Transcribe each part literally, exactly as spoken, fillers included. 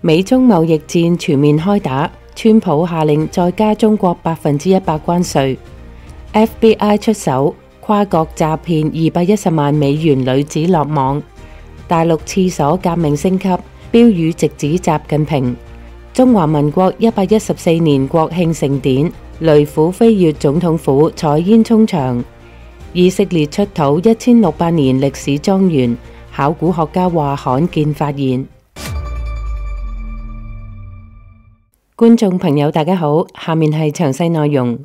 美中貿易戰全面開打，川普下令再加中國百分之一百關稅。F B I 出手，跨國詐騙二百一十萬美元女子落網。大陸廁所革命升級，標語直指習近平。中華民國一百一十四年國慶盛典，雷虎飛越總統府，採煙衝場。以色列出土一千六百年歷史莊園，考古學家話罕見發現。觀眾朋友大家好，下面係詳細內容。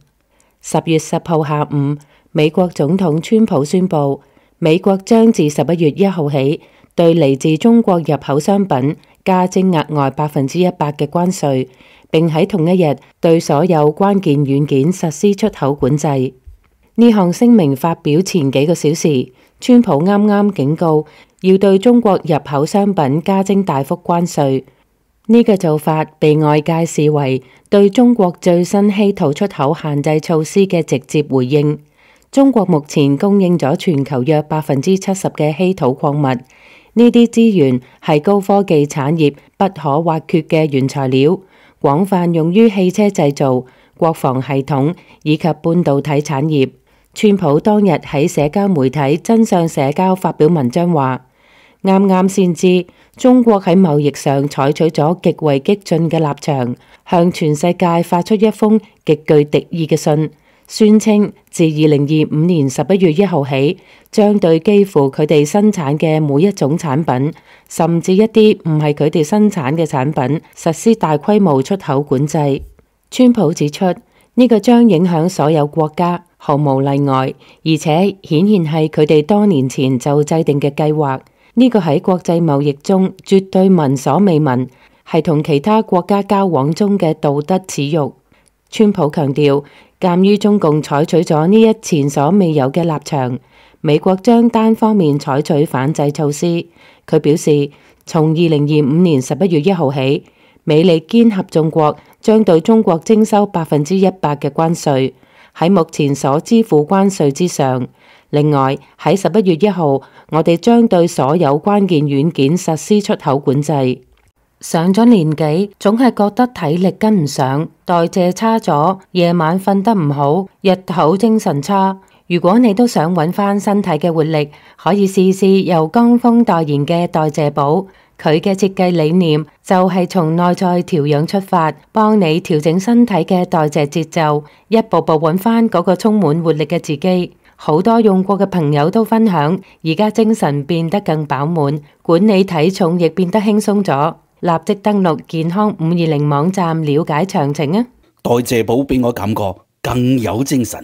十月十號下午，美國總統川普宣布，美國將自十一月一號起對嚟自中國入口商品加徵額外百分之一百嘅關稅，並喺同一日對所有關鍵軟件實施出口管制。呢項聲明發表前幾個小時，川普啱啱警告要對中國入口商品加徵大幅關稅。呢個做法被外界視為對中國最新稀土出口限制措施嘅直接回應。中國目前供應咗全球約百分之七十嘅稀土礦物，呢啲資源係高科技產業不可或缺嘅原材料，廣泛用於汽車製造、國防系統以及半導體產業。川普當日喺社交媒體真相社交發表文章話，啱啱先知中國喺貿易上採取咗極為激進嘅立場，向全世界發出一封極具敵意嘅信，宣稱自二零二五年十一月一號起，將對幾乎佢哋生產嘅每一種產品，甚至一啲唔係佢哋生產嘅產品，實施大規模出口管制。川普指出，呢個將影響所有國家，毫無例外，而且顯然係佢哋多年前就制定嘅計劃。呢個喺國際貿易中絕對聞所未聞，係同其他國家交往中嘅道德恥辱。川普強調，鑑於中共採取咗呢一前所未有嘅立場，美國將單方面採取反制措施。佢表示，從二零二五年十一月一號起，美利堅合眾國將對中國徵收百分之一百嘅關稅，喺目前所支付關稅之上。另外，喺十一月一號，我哋將對所有關鍵軟件實施出口管制。上咗年紀，總係覺得體力跟唔上，代謝差咗，夜晚瞓得唔好，日頭精神差。如果你都想揾翻身體嘅活力，可以試試由江峰代言嘅代謝寶。佢嘅設計理念就係從內在調養出發，幫你調整身體嘅代謝節奏，一步步揾翻嗰個充滿活力嘅自己。好多用過嘅朋友都分享，而家精神變得更飽滿，管理體重亦變得輕鬆咗。立即登錄健康五二零網站了解詳情啊！代謝寶俾我感覺更有精神。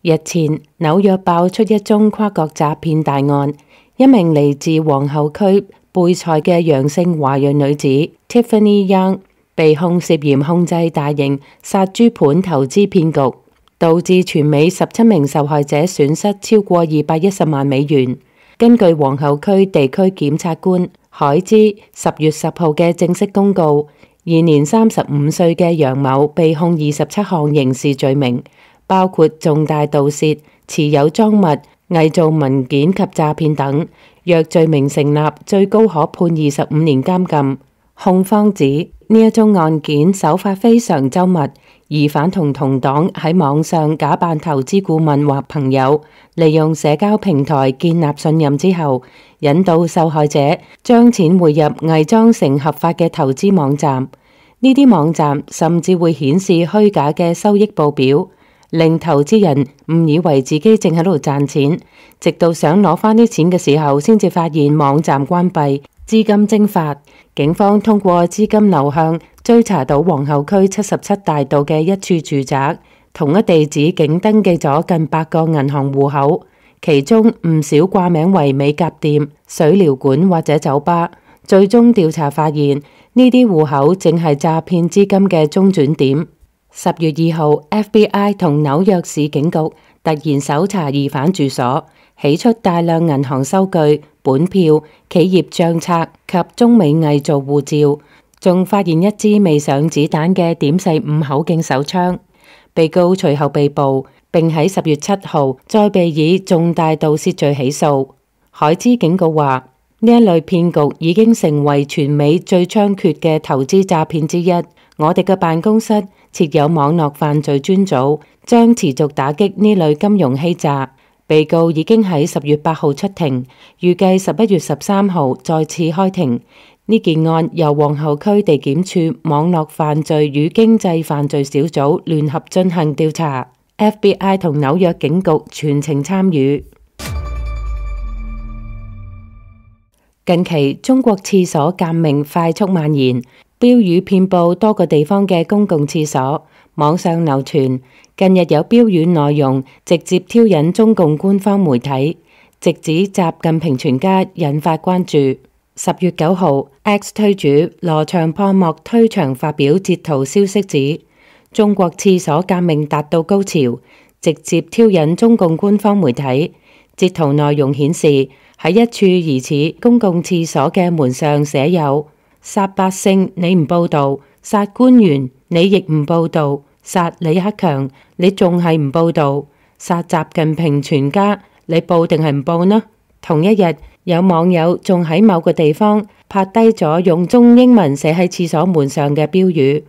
日前紐約爆出一宗跨國詐騙大案，一名嚟自皇后區貝塞嘅楊姓華裔女子 Tiffany Young 被控涉嫌控制大型殺豬盤投資騙局，導致全美十七名受害者損失超過二百一十萬美元。根據皇后區地區檢察官海茲十月十號嘅正式公告，現年三十五歲嘅楊某被控二十七項刑事罪名，包括重大盜竊、持有贓物、偽造文件及詐騙等。若罪名成立，最高可判二十五年監禁。控方指呢一宗案件手法非常周密，疑犯同同黨喺網上假扮投資顧問或朋友，利用社交平台建立信任之後，引導受害者將錢匯入偽裝成合法嘅投資網站。呢啲網站甚至會顯示虛假嘅收益報表，令投資人誤以為自己正喺度賺錢，直到想攞翻啲錢嘅時候，先至發現網站關閉，資金蒸發。警方通過資金流向追查到皇后區七十七大道嘅一處住宅，同一地址竟登記咗近百個銀行戶口，其中唔少掛名為美甲店、水療館或者酒吧。最終調查發現，呢啲戶口正係詐騙資金嘅中轉點。十月二號 F B I 同紐約市警局突然搜查疑犯住所，起出大量銀行收據、本票、企業賬冊及中美偽造護照，仲發現一支未上子彈嘅點四五口徑手槍。被告隨後被捕，並喺十月七號再被以重大盜竊罪起訴。海茲警告話，呢一類騙局已經成為全美最猖獗嘅投資詐騙之一。我哋嘅辦公室設有網絡犯罪專組，將持續打擊呢類金融欺詐。被告已經喺十月八號出庭，預計十一月十三號再次開庭。呢件案由皇后區地檢署網絡犯罪與經濟犯罪小組聯合進行調查 ，F B I 同紐約警局全程參與。近期中國廁所革命快速蔓延，標語遍佈多個地方嘅公共廁所，網上流傳。近日有標語內容直接挑釁中共官方媒體，直指習近平全家，引發關注。十月九號 ，X 推主羅長破莫推長發表截圖消息指，中國廁所革命達到高潮，直接挑釁中共官方媒體。截圖內容顯示，喺一處疑似公共廁所嘅門上寫有：殺百姓你唔報道，殺官員你亦唔報道，殺李克強你仲係唔報道，殺習近平全家你報定係唔報呢？同一日，有網友仲喺某個地方拍低咗用中英文寫喺廁所門上嘅標語：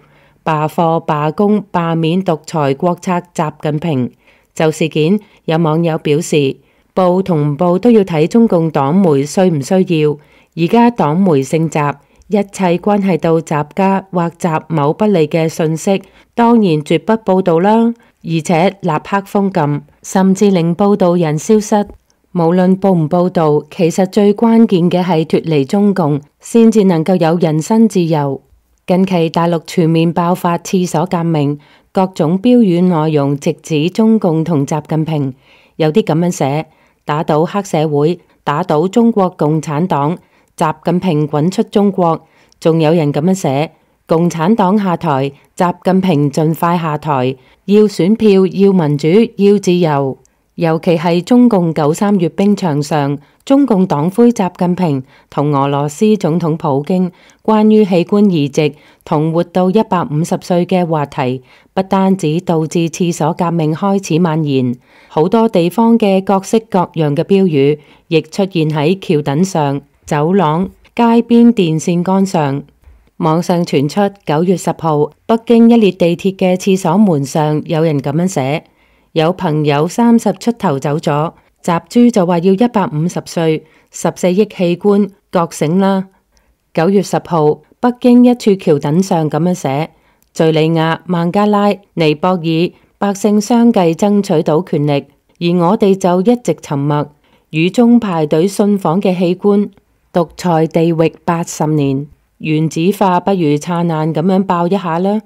罷課、罷工、罷免獨裁國策習近平。就事件，有網友表示，報同唔報都要睇中共黨媒需唔需要。而家黨媒姓習，一切關係到習家或習某不利嘅信息，當然絕不報道啦，而且立刻封禁，甚至令報道人消失。無論報唔報道，其實最關鍵嘅係脫離中共，先至能夠有人身自由。近期大陸全面爆發廁所革命，各種標語內容直指中共同習近平，有啲咁樣寫：打倒黑社會，打倒中國共產黨，習近平滾出中國。仲有人咁樣寫：共產黨下台，習近平盡快下台，要選票，要民主，要自由。尤其係中共九三閱兵場上，中共黨魁習近平同俄羅斯總統普京關於器官移植同活到一百五十歲嘅話題，不單止導致廁所革命開始蔓延，好多地方嘅各式各樣嘅標語亦出現喺橋墩上、走廊、街邊電線桿上。網上傳出九月十號北京一列地鐵嘅廁所門上有人咁樣寫：有朋友三十出頭走咗，習豬就話要一百五十歲，十四億器官，覺醒啦。九月十號，北京一處橋墩上咁樣寫：敘利亞、孟加拉、尼泊爾百姓相繼爭取到權力，而我哋就一直沉默，雨中排隊信訪嘅器官，獨裁地域八十年，原子化不如燦爛咁樣爆一下啦。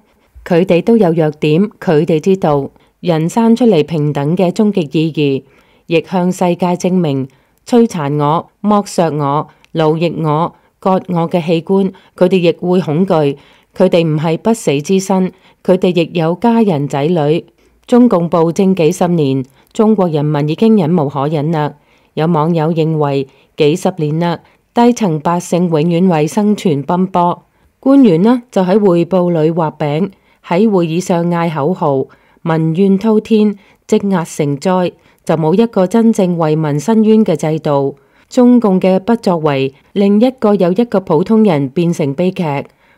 佢哋都有弱點，佢哋知道。人生出嚟平等嘅終極意義，亦向世界證明，摧殘我、剝削我、奴役我、割我嘅器官，佢哋亦會恐懼。佢哋唔係不死之身，佢哋亦有家人仔女。中共暴政幾十年，中國人民已經忍無可忍啦。有網友認為，幾十年啦，低層百姓永遠為生存奔波，官員呢就喺匯報裏畫餅，喺會議上嗌口號。民怨滔天，積壓成災，就冇一個真正為民申冤嘅制度。中共嘅不作為，令一個又一個普通人變成悲劇。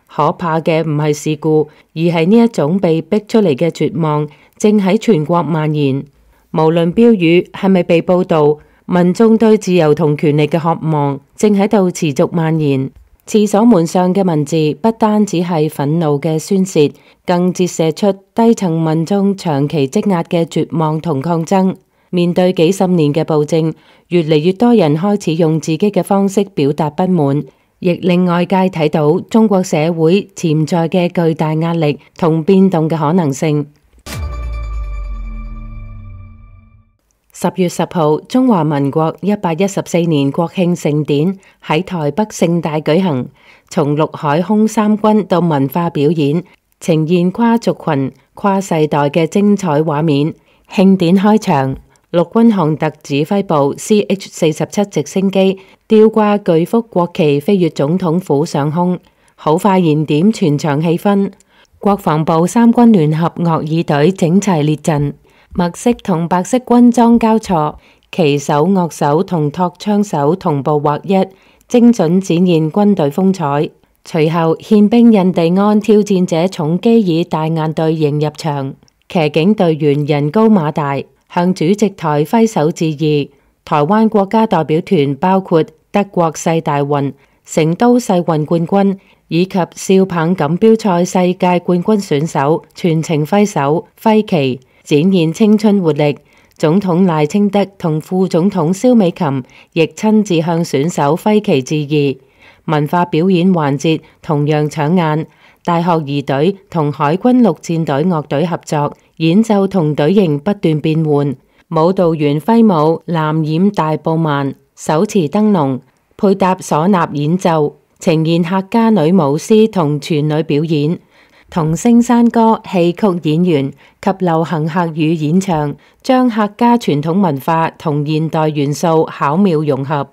可怕嘅唔係事故，而係呢一種被逼出嚟嘅絕望，正喺全國蔓延。無論標語係咪被報導，民眾對自由同權利嘅渴望，正喺度持續蔓延。廁所門上嘅文字不單只係憤怒嘅宣洩，更折射出低層民眾長期積壓嘅絕望同抗爭。面對幾十年嘅暴政，越嚟越多人開始用自己嘅方式表達不滿，亦令外界睇到中國社會潛在嘅巨大壓力同變動嘅可能性。十月十號，中華民國一百一十四年國慶盛典喺台北盛大舉行，從陸海空三軍到文化表演，呈現跨族群、跨世代嘅精彩畫面。慶典開場，陸軍航特指揮部 C H 四十七直升機吊掛巨幅國旗飛越總統府上空，好快燃點全場氣氛。國防部三軍聯合樂儀隊整齊列陣。墨色同白色軍裝交錯，旗手、樂手同托槍手同步劃一，精準展現軍隊風采。隨後憲兵印第安挑戰者重基爾大雁隊迎入場，騎警隊員人高馬大，向主席台揮手致意。台灣國家代表團包括德國世大運、成都世運冠軍以及少棒錦標賽世界冠軍選手全程揮手揮旗，展現青春活力。總統賴清德同副總統蕭美琴亦親自向選手揮旗致意。文化表演環節同樣搶眼，大學儀隊同海軍陸戰隊樂隊合作演奏，同隊形不斷變換，舞蹈員揮舞藍染大布幔，手持燈籠，配搭嗩吶演奏，呈現客家女舞獅同全女表演，同聲山歌戲曲演員及流行客語演唱，將客家傳統文化同現代元素巧妙融合。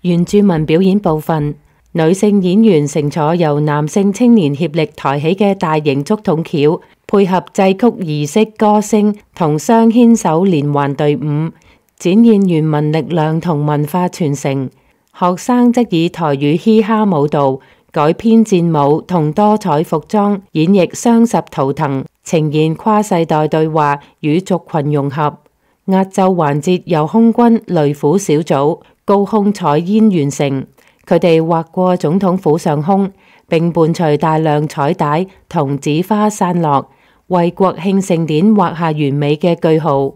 原住民表演部分，女性演員乘坐由男性青年協力抬起嘅大型竹筒轎，配合祭曲儀式歌聲同雙牽手連環隊伍，展現原民力量同文化傳承。學生則以台語嘻哈舞蹈改編戰舞同多彩服裝演繹雙十圖騰，呈現跨世代對話與族群融合。壓軸環節由空軍雷虎小組高空採煙完成。佢哋劃過總統府上空，並伴隨大量彩帶同紙花散落，為國慶盛典畫下完美嘅句號。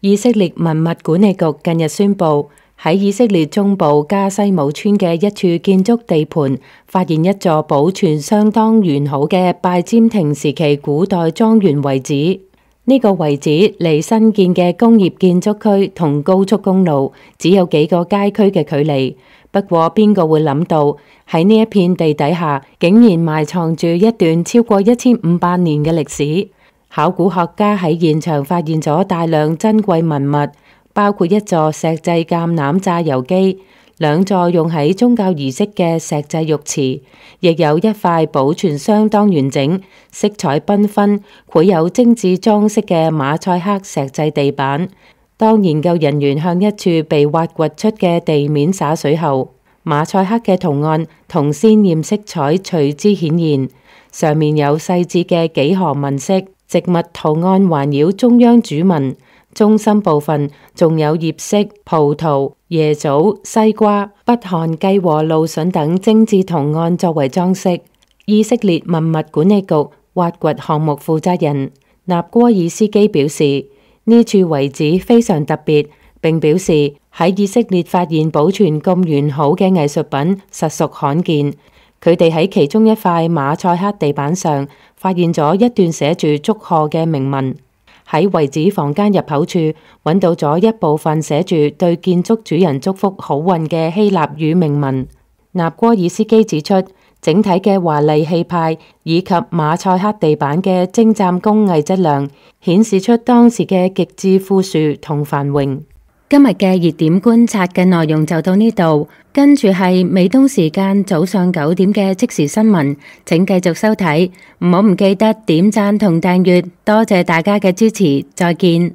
以色列文物管理局近日宣布，喺以色列中部加西姆村嘅一處建築地盤，發現一座保存相當完好嘅拜占庭時期古代莊園遺址。呢個遺址離新建嘅工業建築區同高速公路只有幾個街區嘅距離。不過邊個會諗到喺呢一片地底下竟然埋藏住一段超過一千五百年嘅歷史？考古學家喺現場發現咗大量珍貴文物，包括一座石製橄欖榨油機，兩座用喺宗教儀式嘅石製浴池，亦有一塊保存相當完整、色彩繽紛、繪有精緻裝飾嘅馬賽克石製地板。當研究人員向一處被挖掘出嘅地面灑水後，馬賽克嘅圖案同鮮豔色彩隨之顯現，上面有細緻嘅幾何紋飾，植物圖案環繞中央主紋。中心部分仲有葉色、葡萄、椰棗、西瓜、北韓雞和蘆筍等精緻圖案作為裝飾。以色列文物管理局挖掘項目負責人納戈爾斯基表示，呢處遺址非常特別，並表示喺以色列發現保存咁完好嘅藝術品實屬罕見。佢哋喺其中一塊馬賽克地板上發現咗一段寫住祝賀嘅銘文。喺遺址房間入口處揾到咗一部分寫住對建築主人祝福好運嘅希臘語銘文。納戈爾斯基指出，整體嘅華麗氣派以及馬賽克地板嘅精湛工藝質量，顯示出當時嘅極致富庶同繁榮。今日嘅熱點觀察嘅內容就到呢度，跟住係美東時間早上九點嘅即時新聞，請繼續收睇，唔好唔記得點讚同訂閱，多謝大家嘅支持，再見。